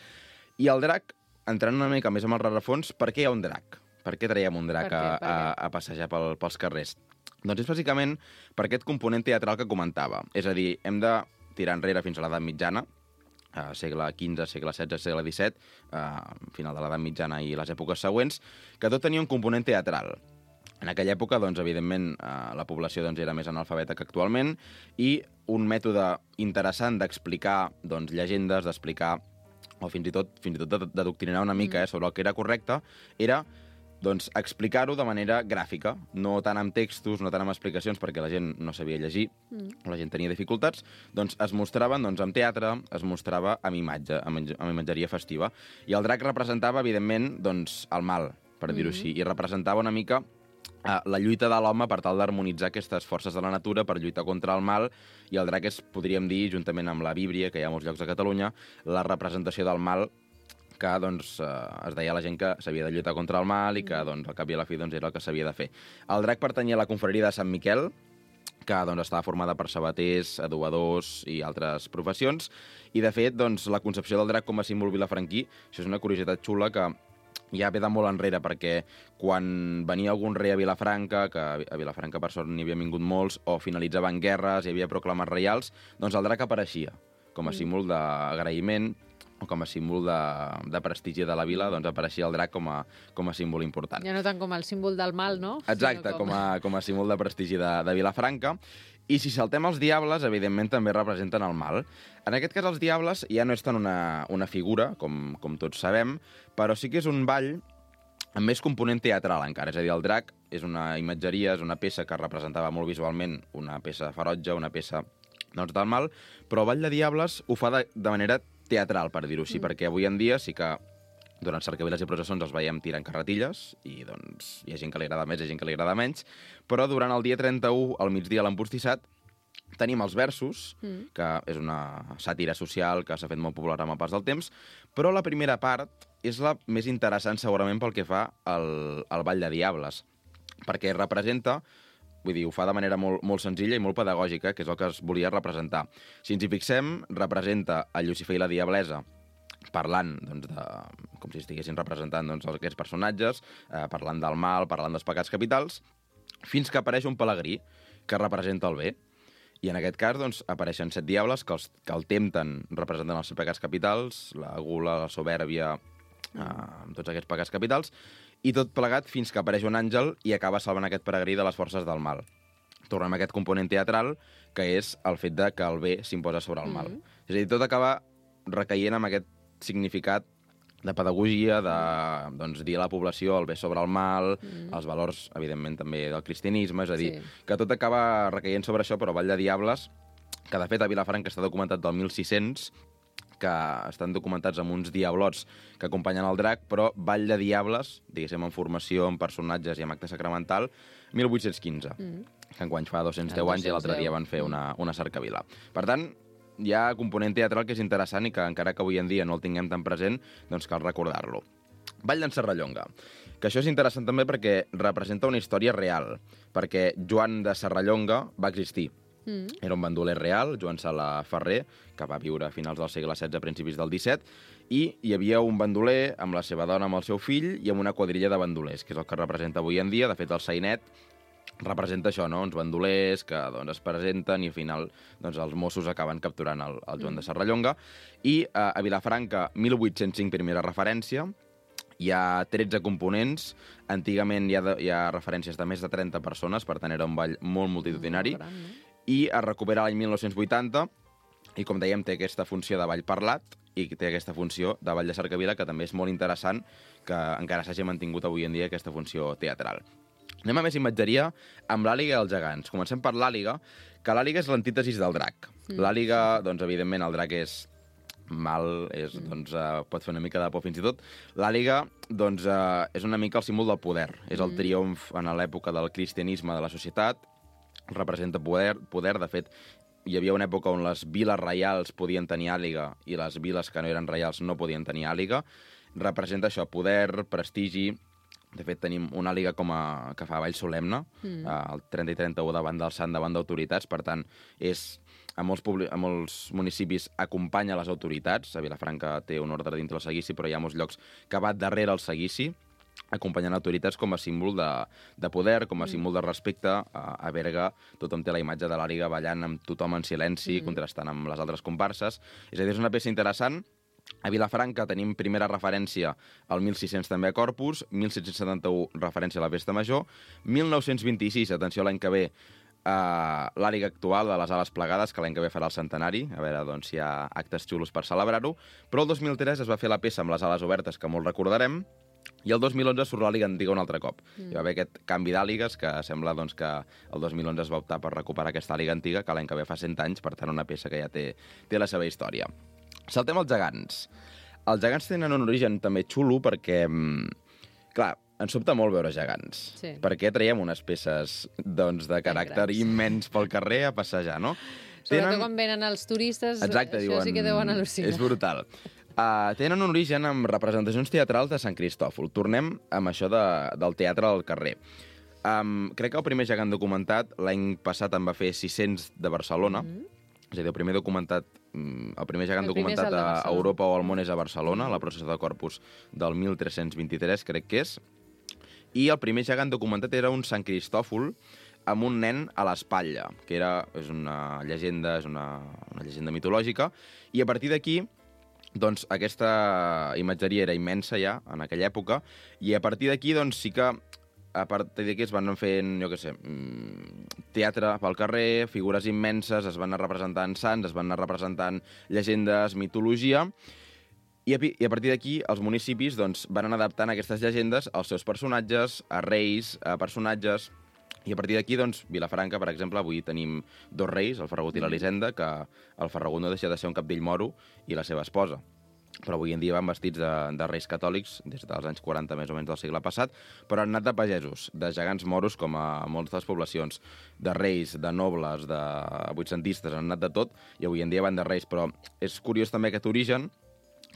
I el drac, entrant una mica més amb el rerefons, per què hi ha un drac? Per què traiem un drac a passejar pels carrers? Doncs és bàsicament per aquest component teatral que comentava. És a dir, hem de tirar enrere fins a l'edat mitjana, segle XV, segle XVI, segle XVII, final de l'edat mitjana i les èpoques següents, que tot tenia un component teatral. En aquella època, doncs, evidentment, la població era més analfabeta que actualment, i un mètode interessant d'explicar llegendes, d'explicar o fins i tot d'adoctrinar una mica sobre el que era correcte, era explicar-ho de manera gràfica, no tant amb textos, no tant amb explicacions, perquè la gent no sabia llegir, o la gent tenia dificultats, doncs es mostraven amb teatre, es mostrava amb imatge, amb imatgeria festiva. I el drac representava, evidentment, el mal, per dir-ho així, i representava una mica la lluita de l'home per tal d'harmonitzar aquestes forces de la natura per lluitar contra el mal, i el drac és, podríem dir, juntament amb la Víbria, que hi ha a molts llocs de Catalunya, la representació del mal que es deia a la gent que s'havia de lluitar contra el mal i que al cap i a la fi era el que s'havia de fer. El drac pertanyia a la confraria de Sant Miquel, que estava formada per sabaters, adobadors i altres professions, i de fet la concepció del drac com a símbol vilafranquí, això és una curiositat xula que ja ve de molt enrere, perquè quan venia algun rei a Vilafranca, que a Vilafranca per sort n'hi havia vingut molts, o finalitzaven guerres, hi havia proclames reials, doncs el drac apareixia com a símbol d'agraïment, o com a símbol de prestigi de la vila, doncs apareixia el drac com a símbol important. Ja no tant com el símbol del mal, no? Exacte, com a símbol de prestigi de Vilafranca. I si saltem els diables, evidentment també representen el mal. En aquest cas, els diables ja no és tant una figura, com tots sabem, però sí que és un ball amb més component teatral encara. És a dir, el drac és una imatgeria, és una peça que representava molt visualment una peça ferotge, una peça del mal, però el ball de diables ho fa de manera teatral, per dir-ho així, perquè avui en dia sí que durant cercaviles i processons els veiem tirant carretilles i hi ha gent que li agrada més i gent que li agrada menys, però durant el dia 31, al migdia, a l'empostissat, tenim els versos, que és una sàtira social que s'ha fet molt popular amb el pas del temps, però la primera part és la més interessant segurament pel que fa al ball de diables, perquè representa, vull dir, ho fa de manera molt, molt senzilla i molt pedagògica, que és el que es volia representar. Si ens hi fixem, representa el Llucifer i la Diablesa parlant, com si estiguessin representant aquests personatges, parlant del mal, parlant dels pecats capitals, fins que apareix un pelegrí que representa el bé. I en aquest cas doncs, apareixen 7 diables que el tempten representant els 7 pecats capitals, la gula, la soberbia, tots aquests pecats capitals, i tot plegat fins que apareix un àngel i acaba salvant aquest peregrí de les forces del mal. Tornem a aquest component teatral, que és el fet de que el bé s'imposa sobre el mal. És a dir, tot acaba recaient amb aquest significat de pedagogia, de dir a la població el bé sobre el mal, els valors, evidentment, també del cristianisme, és a dir, que tot acaba recaient sobre això, però Vall de Diables, que de fet a Vilafranca està documentat del 1600, que estan documentats amb uns diablots que acompanyen el drac, però Vall de Diables, diguéssim, en formació, en personatges i en acte sacramental, 1815, que enguany fa 210 anys i l'altre dia van fer una cercavila. Per tant, hi ha component teatral que és interessant i que encara que avui en dia no el tinguem tan present, doncs cal recordar-lo. Vall d'en Serrallonga, que això és interessant també perquè representa una història real, perquè Joan de Serrallonga va existir. Era un bandoler real, Joan Sala Ferrer, que va viure a finals del segle XVI, a principis del XVII, i hi havia un bandoler amb la seva dona, amb el seu fill, i amb una quadrilla de bandolers, que és el que representa avui en dia. De fet, el sainet representa això, no? Uns bandolers que es presenten i al final els Mossos acaben capturant el Joan de Serrallonga. I a Vilafranca, 1805, primera referència, hi ha 13 components. Antigament hi ha referències de més de 30 persones, per tant era un ball molt multitudinari. I es recupera l'any 1980 i, com dèiem, té aquesta funció de ball parlat i té aquesta funció de ball de cercavila, que també és molt interessant que encara s'hagi mantingut avui en dia aquesta funció teatral. Anem a més imatgeria amb l'àliga i els gegants. Comencem per l'àliga, que l'àliga és l'antítesis del drac. L'àliga, evidentment, el drac és mal, pot fer una mica de por fins i tot. L'àliga és una mica el símbol del poder. És el triomf en l'època del cristianisme de la societat, representa poder. De fet, hi havia una època on les viles reials podien tenir àliga i les viles que no eren reials no podien tenir àliga. Representa això, poder, prestigi. De fet, tenim una àliga que fa ball solemne, el 30 i 31 davant del sant, davant d'autoritats. Per tant, a molts municipis acompanya les autoritats. A Vilafranca té un ordre dintre el seguici, però hi ha molts llocs que va darrere el seguici, acompanyant autoritats com a símbol de poder, com a símbol de respecte. A Berga tothom té la imatge de l'àliga ballant amb tothom en silenci, contrastant amb les altres comparses. És a dir, és una peça interessant. A Vilafranca tenim primera referència al 1600 també a Corpus, 1771 referència a la Festa Major, 1926, atenció l'any que ve, l'àliga actual de les ales plegades, que l'any que ve farà el centenari, a veure si hi ha actes xulos per celebrar-ho, però el 2003 es va fer la peça amb les ales obertes, que molt recordarem, i el 2011 surt l'àliga antiga un altre cop. Hi va haver aquest canvi d'àligues, que sembla que el 2011 es va optar per recuperar aquesta àliga antiga, que l'any que ve fa 100 anys, per tant una peça que ja té la seva història. Saltem als gegants. Els gegants tenen un origen també xulo perquè, clar, ens sobta molt veure gegants. Sí. Perquè traiem unes peces de caràcter immens pel carrer a passejar, no? Sobretot quan venen els turistes, exacte, això sí que deuen al·lucinar. És brutal. Tenen un origen amb representacions teatrals de Sant Cristòfol. Tornem amb això del teatre al carrer. Crec que el primer gegant documentat l'any passat en va fer 600 de Barcelona. És a dir, el primer gegant documentat a Europa o al món és a Barcelona, la processó de Corpus del 1323, crec que és. I el primer gegant documentat era un Sant Cristòfol amb un nen a l'espatlla, que és una llegenda mitològica. I a partir d'aquí, doncs, aquesta imatgeria era immensa ja, en aquella època, i a partir d'aquí, doncs, sí que a partir d'aquí es van fent, teatre pel carrer, figures immenses, es van anar representant sants, es van anar representant llegendes, mitologia, i a partir d'aquí els municipis van anar adaptant aquestes llegendes als seus personatges, a reis, a personatges, i a partir d'aquí, Vilafranca, per exemple, avui tenim 2 reis, el Ferragut i l'Elisenda, que el Ferragut no deixa de ser un cabdill moro i la seva esposa. Però avui en dia van vestits de reis catòlics, des dels anys 40 més o menys del segle passat, però han anat de pagesos, de gegants moros, com a moltes poblacions, de reis, de nobles, de vuitcentistes, han anat de tot, i avui en dia van de reis. Però és curiós també aquest origen,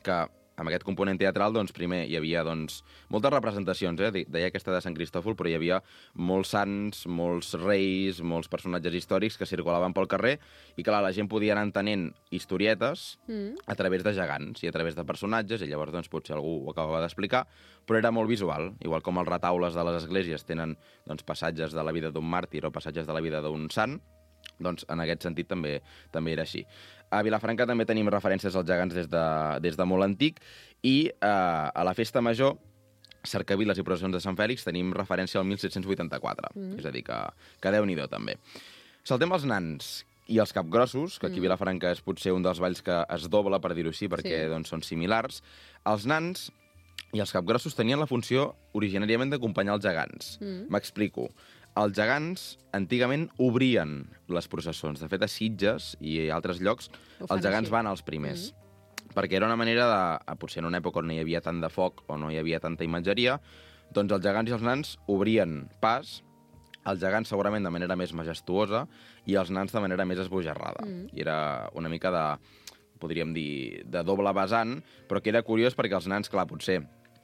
que amb aquest component teatral, primer hi havia moltes representacions, deia aquesta de Sant Cristòfol, però hi havia molts sants, molts reis, molts personatges històrics que circulaven pel carrer, i clar, la gent podia anar entenent historietes a través de gegants i a través de personatges, i llavors potser algú ho acabava d'explicar, però era molt visual, igual com els retaules de les esglésies tenen passatges de la vida d'un màrtir o passatges de la vida d'un sant. doncs en aquest sentit també era així. A Vilafranca també tenim referències als gegants des de molt antic i a la festa major, cercaviles i processons de Sant Fèlix, tenim referència al 1784. És a dir, que Déu-n'hi-do també. Saltem els nans i els capgrossos, que aquí a Vilafranca és potser un dels balls que es dobla, per dir-ho així, perquè doncs, són similars. Els nans i els capgrossos tenien la funció originàriament d'acompanyar els gegants. M'explico. Els gegants antigament obrien les processons. De fet, a Sitges i a altres llocs, els gegants van als primers. Perquè era una manera de... Potser en una època on no hi havia tant de foc o no hi havia tanta imatgeria, doncs els gegants i els nans obrien pas, els gegants segurament de manera més majestuosa i els nans de manera més esbojarrada. I era una mica de, podríem dir, de doble vessant, però que era curiós perquè els nans, clar, potser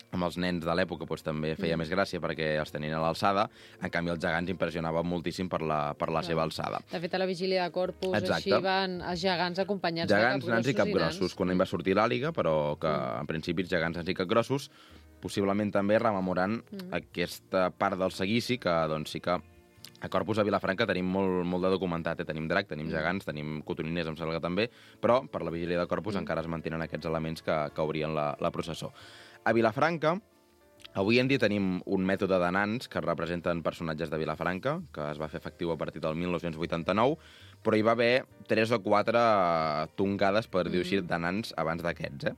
amb els nens de l'època doncs, també feia més gràcia perquè els tenien a l'alçada, en canvi els gegants impressionaven moltíssim per la seva alçada. De fet, a la vigília de Corpus, així van els gegants acompanyats gegants, de capgrossos nans i capgrossos, quan va sortir l'àliga, però que en principi els gegants, nans i capgrossos, possiblement també rememorant aquesta part del seguici, que doncs sí que a Corpus, a Vilafranca, tenim molt de documentat. Tenim drac, tenim gegants, tenim cotoniners, em sembla que també, però per la vigília de Corpus encara es mantenen aquests elements que obrien la processó. A Vilafranca, avui en dia tenim un mètode de nans que representen personatges de Vilafranca, que es va fer efectiu a partir del 1989, però hi va haver 3 o 4 tongades, per dir-ho així, de nans abans d'aquests,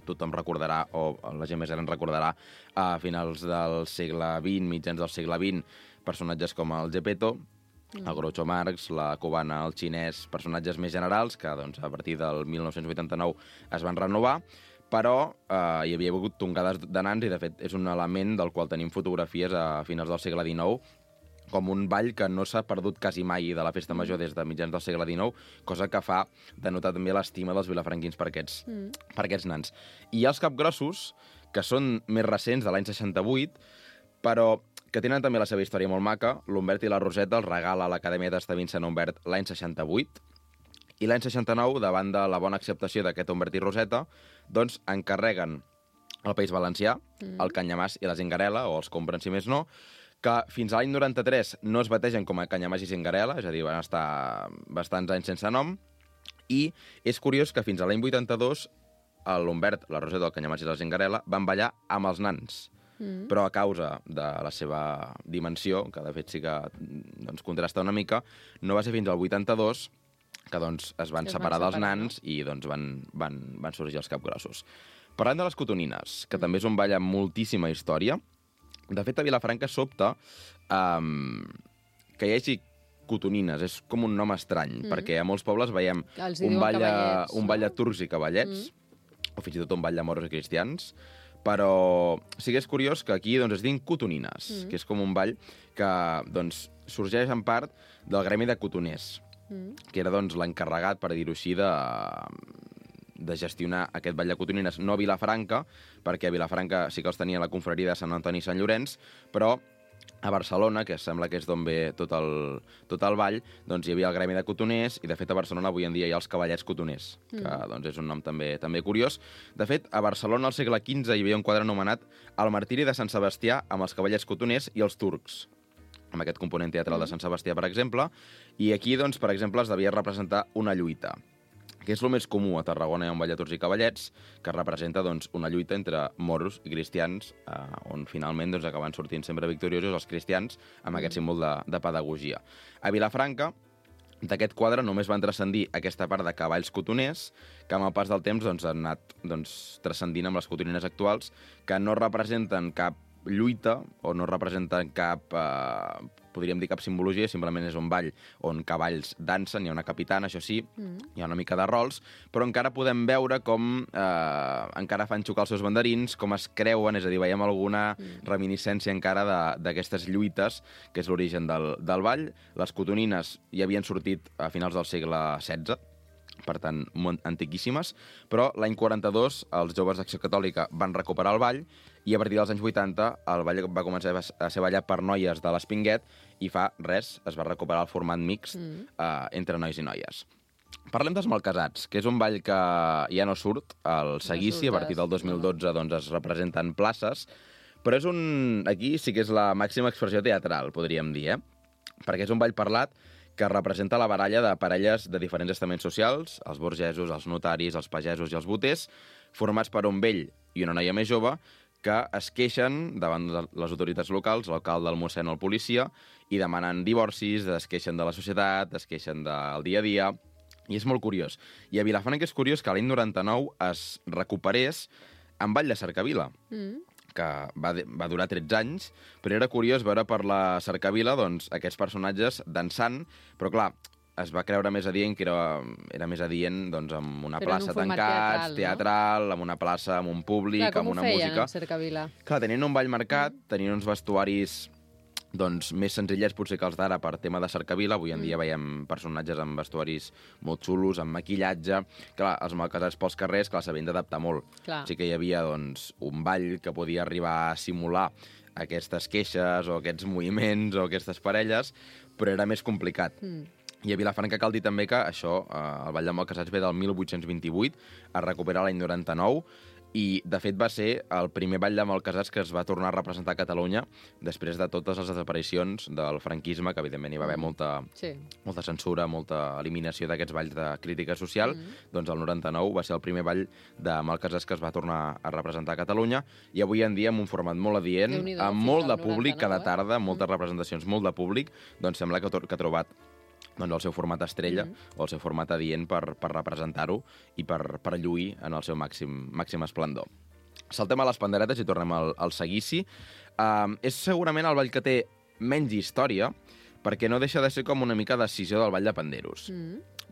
tothom recordarà, o la gent més gran recordarà, a finals del segle XX, mitjans del segle XX, personatges com el Gepetto, el Groucho Marx, la cubana, el xinès, personatges més generals que doncs, a partir del 1989 es van renovar, però hi havia hagut tongades de nans i, de fet, és un element del qual tenim fotografies a finals del segle XIX, com un ball que no s'ha perdut quasi mai de la festa major des de mitjans del segle XIX, cosa que fa denotar també l'estima dels vilafranquins per aquests nans. I els capgrossos, que són més recents, de l'any 68, però que tenen també la seva història molt maca. L'Humbert i la Roseta els regala a l'Acadèmia d'Asta Vincent Humbert l'any 68, i l'any 69, davant de la bona acceptació d'aquest Humbert i Roseta, doncs encarreguen al País Valencià el canyamàs i la zingarela, o els compren si més no, que fins a l'any 93 no es bategen com a canyamàs i zingarela, és a dir, van estar bastants anys sense nom, i és curiós que fins a l'any 82 l'Humbert, la Roseta, el canyamàs i la zingarela van ballar amb els nans, però a causa de la seva dimensió, que de fet sí que doncs, contrasta una mica, no va ser fins al 82 que doncs, es van separar dels nans i doncs, van sorgir els capgrossos. Parlant de les cotonines, que també és un ball amb moltíssima història, de fet, a Vilafranca sobta que hi hagi cotonines. És com un nom estrany, perquè a molts pobles veiem un ball de turcs i cavallets, o fins i tot un ball de moros i cristians, però sí que és curiós que aquí doncs, es diuen cotonines, que és com un ball que doncs, sorgeix en part del gremi de cotoners, que era doncs, l'encarregat, per dir-ho així, de gestionar aquest ball de cotonines, no a Vilafranca, perquè a Vilafranca sí que els tenia la confraria de Sant Antoni i Sant Llorenç, però a Barcelona, que sembla que és d'on ve tot el ball, doncs hi havia el gremi de cotoners, i de fet a Barcelona avui en dia hi ha els cavallets cotoners, que doncs, és un nom també curiós. De fet, a Barcelona al segle XV hi havia un quadre anomenat El martiri de Sant Sebastià amb els cavallets cotoners i els turcs, amb aquest component teatral de Sant Sebastià, per exemple, i aquí, doncs, per exemple, es devia representar una lluita, que és el més comú a Tarragona. Hi ha un ball de turcs i cavallets que representa doncs, una lluita entre moros i cristians, on finalment doncs, acaben sortint sempre victoriosos els cristians amb aquest símbol de pedagogia. A Vilafranca, d'aquest quadre només van transcendir aquesta part de cavalls cotoners, que amb el pas del temps doncs, han anat transcendint amb les cotonines actuals, que no representen cap lluita o no representen cap, podríem dir, cap simbologia, simplement és un ball on cavalls dansen, hi ha una capitana, això sí, hi ha una mica de rols, però encara podem veure com encara fan xocar els seus banderins, com es creuen, és a dir, veiem alguna reminiscència encara d'aquestes lluites, que és l'origen del ball. Les cotonines ja havien sortit a finals del segle XVI, per tant, molt antiquíssimes, però l'any 42 els joves d'Acció Catòlica van recuperar el ball i a partir dels anys 80 el ball va començar a ser ballat per noies de l'Espinguet i fa res es va recuperar el format mixt entre nois i noies. Parlem dels malcasats, que és un ball que ja no surt al seguici, a partir del 2012 doncs, es representen places, però aquí sí que és la màxima expressió teatral, podríem dir, perquè és un ball parlat que representa la baralla de parelles de diferents estaments socials, els burgesos, els notaris, els pagesos i els boters, formats per un vell i una noia més jove, que es queixen davant de les autoritats locals, l'alcalde, el mossèn o el policia, i demanen divorcis, es queixen de la societat, es queixen del dia a dia, i és molt curiós. I a Vilafranca és curiós que l'any 99 es recuperés en Vall de Cercavila, que va durar 13 anys, però era curiós veure per la Cercavila doncs, aquests personatges dansant, però clar, es va creure més adient que era més adient doncs, amb una plaça tancats, teatral, amb una plaça, amb un públic, clar, amb una música. Com ho feien, en Cercavila? Clar, tenien un ball marcat, tenien uns vestuaris doncs, més senzillets potser que els d'ara per tema de Cercavila. Avui en dia veiem personatges amb vestuaris molt xulos, amb maquillatge. Clar, els malcasats pels carrers, clar, s'havien d'adaptar molt. Clar. Sí que hi havia doncs, un ball que podia arribar a simular aquestes queixes o aquests moviments o aquestes parelles, però era més complicat. I a Vilafranca cal dir també que això, el Ball de Malcasats ve del 1828, es recupera l'any 99, i de fet va ser el primer Ball de Malcasats que es va tornar a representar a Catalunya després de totes les desaparicions del franquisme, que evidentment hi va haver molta censura, molta eliminació d'aquests balls de crítica social. Doncs el 99 va ser el primer Ball de Malcasats que es va tornar a representar a Catalunya, i avui en dia amb un format molt adient, amb molt de públic cada tarda, moltes representacions, molt de públic, doncs sembla que ha trobat doncs, el seu format estrella o el seu format adient per representar-ho i per lluir en el seu màxim esplendor. Saltem a les panderetes i tornem al seguici. És segurament el ball que té menys història, perquè no deixa de ser com una mica decisió del ball de panderos.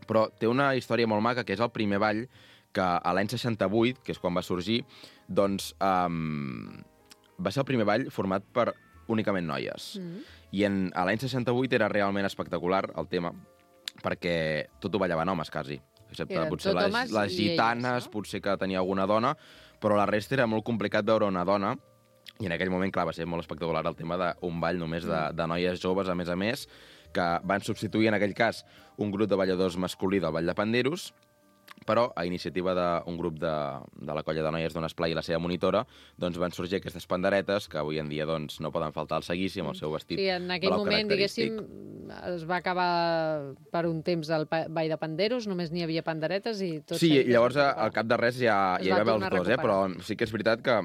Però té una història molt maca, que és el primer ball que a l'any 68, que és quan va sorgir, doncs va ser el primer ball format per únicament noies. I a l'any 68 era realment espectacular el tema, perquè tot ho ballaven homes, quasi. Excepte potser les gitanes, potser que tenia alguna dona, però la resta era molt complicat veure una dona, i en aquell moment, clar, va ser molt espectacular el tema d'un ball només de noies joves, a més, que van substituir en aquell cas un grup de balladors masculí del Ball de Panderos, però a iniciativa d'un grup de la colla de noies d'on Esplai i la seva monitora, doncs van sorgir aquestes panderetes que avui en dia doncs, no poden faltar al seguici amb el seu vestit. Sí, en aquell moment, diguéssim, es va acabar per un temps el ball de panderos, només n'hi havia panderetes i tot... Sí, llavors al cap de res ja hi va haver els dos, però sí que és veritat que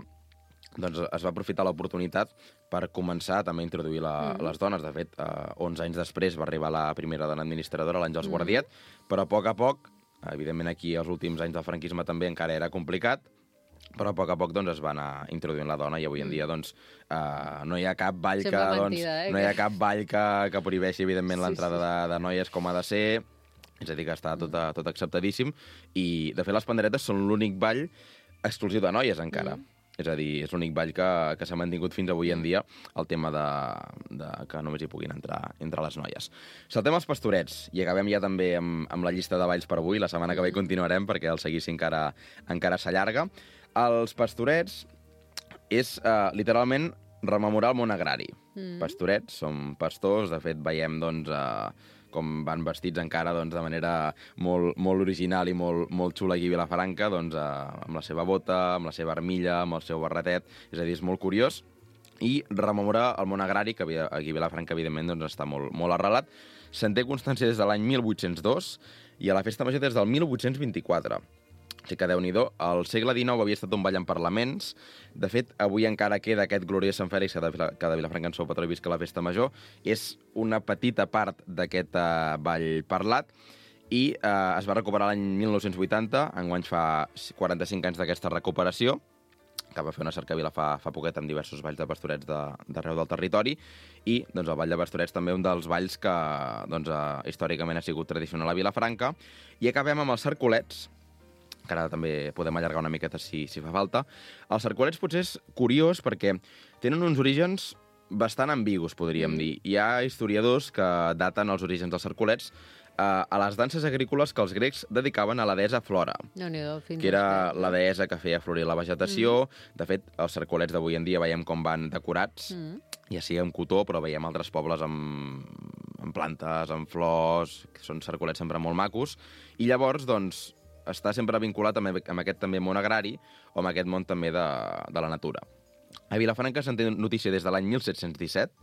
doncs, es va aprofitar l'oportunitat per començar també a introduir les dones. De fet, 11 anys després va arribar la primera dona administradora, l'Àngels Guardiet, però a poc, evidentment aquí els últims anys del franquisme també encara era complicat, però a poc doncs, es va anar introduint la dona i avui en dia doncs, no hi ha cap ball no hi ha cap ball que prohibeixi evidentment l'entrada de noies com ha de ser, és a dir, que està tot acceptadíssim, i de fet les panderetes són l'únic ball exclusiu de noies encara. És a dir, és l'únic ball que s'ha mantingut fins avui en dia, el tema de que només hi puguin entrar entre les noies. Saltem als pastorets, i acabem ja també amb la llista de balls per avui. La setmana que ve continuarem, perquè el seguici encara s'allarga. Els pastorets és literalment rememorar el món agrari. Pastorets són pastors, de fet veiem doncs, com van vestits encara doncs, de manera molt original i molt xula aquí a Vilafranca, doncs, amb la seva bota, amb la seva armilla, amb el seu barretet. És a dir, és molt curiós. I rememorar el món agrari, que aquí a Vilafranca, evidentment, doncs, està molt arrelat. Se'n té constància des de l'any 1802 i a la Festa Major des del 1824. O sigui que, Déu-n'hi-do, el segle XIX havia estat un ball en parlaments. De fet, avui encara queda aquest gloriós Sant Fèlix, que de Vilafranca en sou patró i visca la Festa Major. És una petita part d'aquest ball parlat i es va recuperar l'any 1980, enguany fa 45 anys d'aquesta recuperació, que va fer una cercavila fa poquet amb diversos balls de pastorets d'arreu del territori, i doncs, el ball de pastorets també un dels balls que doncs, històricament ha sigut tradicional a Vilafranca. I acabem amb els cercolets, que ara també podem allargar una miqueta si fa falta. Els cercolets potser és curiós perquè tenen uns orígens bastant ambigus, podríem dir. Hi ha historiadors que daten els orígens dels cercolets a les danses agrícoles que els grecs dedicaven a la deessa Flora, que era la deessa que feia florir la vegetació. De fet, els cercolets d'avui en dia veiem com van decorats, ja sigui amb cotó, però veiem altres pobles amb plantes, amb flors, que són cercolets sempre molt macos. I llavors, doncs, està sempre vinculat amb aquest també món agrari o amb aquest món també de la natura. A Vilafranca se'n té notícia des de l'any 1717,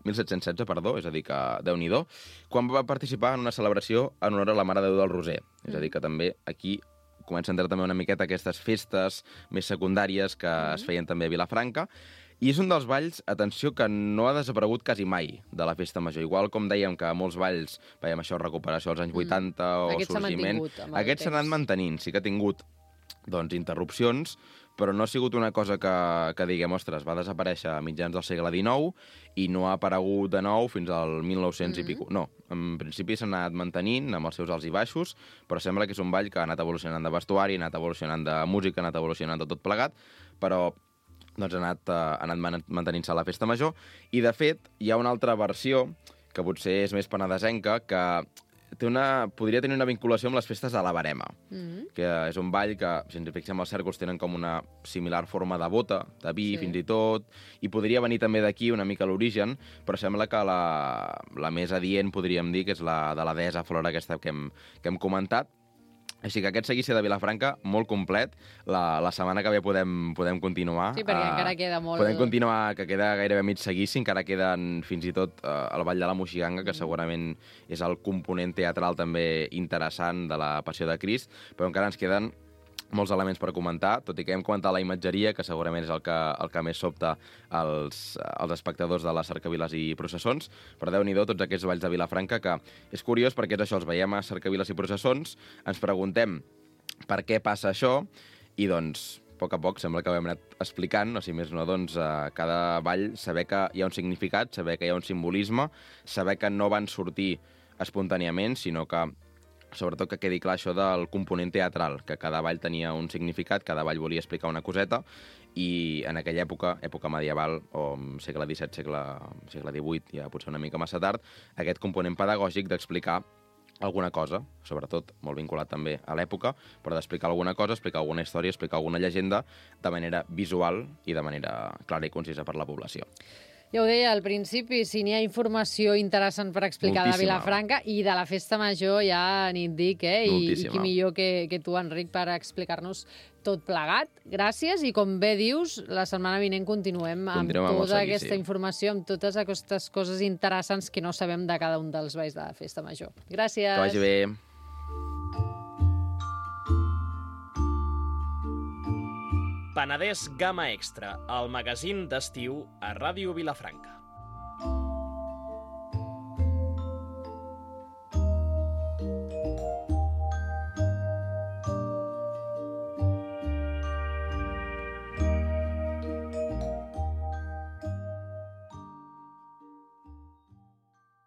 1716, perdó, és a dir, que Déu-n'hi-do, quan va participar en una celebració en honor a la Mare de Déu del Roser. És a dir, que també aquí comença a entrar també una miqueta aquestes festes més secundàries que es feien també a Vilafranca. I és un dels balls, atenció, que no ha desaparegut quasi mai de la festa major. Igual com dèiem que molts balls, veiem això, recuperació als anys 80 o Aquest s'ha sorgiment, mantingut amb el aquests s'han anat temps. mantenint. Sí que ha tingut interrupcions, però no ha sigut una cosa que diguem, ostres, va desaparèixer a mitjans del segle XIX i no ha aparegut de nou fins al 1900 i pico. No, en principi s'ha anat mantenint amb els seus alts i baixos, però sembla que és un ball que ha anat evolucionant de vestuari, ha anat evolucionant de música, ha anat evolucionant de tot plegat, però doncs ha anat mantenint-se a la festa major. I, de fet, hi ha una altra versió, que potser és més penedesenca, que podria tenir una vinculació amb les festes de la Verema, que és un ball que, si ens fixem, els cèrcols tenen com una similar forma de bota, de vi, fins i tot, i podria venir també d'aquí una mica l'origen, però sembla que la més adient, podríem dir, que és la de la deessa Flora aquesta que hem comentat. Així que aquest seguici de Vilafranca, molt complet. La setmana que ve podem continuar. Sí, perquè encara queda molt... Podem continuar, que queda gairebé mig seguici, encara queden fins i tot el Ball de la Moixiganga, que segurament és el component teatral també interessant de la Passió de Crist, però encara ens queden molts elements per comentar, tot i que hem comentat la imatgeria, que segurament és el que més sobta als espectadors de les cercaviles i processons, però Déu-n'hi-do tots aquests balls de Vilafranca, que és curiós perquè és això, els veiem a cercaviles i processons, ens preguntem per què passa això, i doncs, a poc sembla que ho hem anat explicant, o si més no, doncs, cada ball, saber que hi ha un significat, saber que hi ha un simbolisme, saber que no van sortir espontàniament, sinó que sobretot que quedi clar això del component teatral, que cada ball tenia un significat, cada ball volia explicar una coseta, i en aquella època medieval, o segle XVII, segle XVIII, ja potser una mica massa tard, aquest component pedagògic d'explicar alguna cosa, sobretot molt vinculat també a l'època, però d'explicar alguna cosa, explicar alguna història, explicar alguna llegenda de manera visual i de manera clara i concisa per la població. Ja ho deia al principi, si n'hi ha informació interessant per explicar de Vilafranca i de la Festa Major, ja ni et dic, I qui millor que tu, Enric, per explicar-nos tot plegat. Gràcies, i com bé dius, la setmana vinent continuem amb tota aquesta informació, amb totes aquestes coses interessants que no sabem de cada un dels balls de la Festa Major. Gràcies. Que vagi bé. Penedès Gamma Extra, el magazín d'estiu a Ràdio Vilafranca.